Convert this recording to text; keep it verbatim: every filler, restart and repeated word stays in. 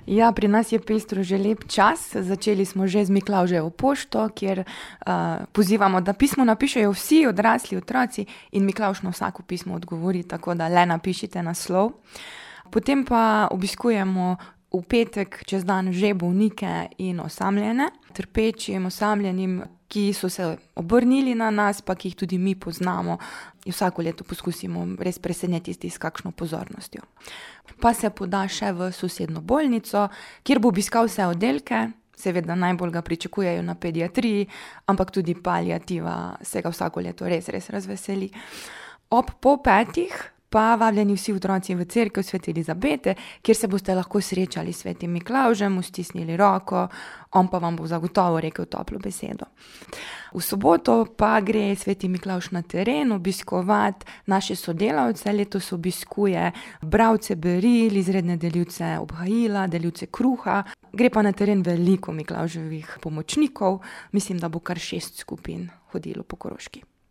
Ja, pri nas je pestro že lep čas. Začeli smo že z Miklavževo pošto, kjer uh, pozivamo, da pismo napišejo vsi odrasli otroci in Miklavž na vsako pismo odgovori, tako da le napišite naslov. Potem pa obiskujemo v petek čez dan že bolnike in osamljene, trpečim, osamljenim, ki so se obrnili na nas, pa ki jih tudi mi poznamo. In vsako leto poskusimo res presenetiti s kakšno pozornostjo. Pa se poda še v sosednjo bolnico, kjer bo obiskal vse oddelke, seveda najbolj ga pričakujejo na pediatriji, ampak tudi paliativa se ga vsako leto res, res razveseli. Ob pol petih pa vabljeni vsi otroci v cerkev Svete Elizabete, kjer se boste lahko srečali s Svetim Miklavžem, mu stisnili roko, on pa vam bo zagotovo rekel toplo besedo. V soboto pa gre Sveti Miklavž na teren obiskovati naše sodelavce. Letos obiskuje bralce beril, izredne delivce obhajila, delivce kruha. Gre pa na teren veliko Miklavževih pomočnikov, mislim, da bo kar šest skupin hodilo po Koroški.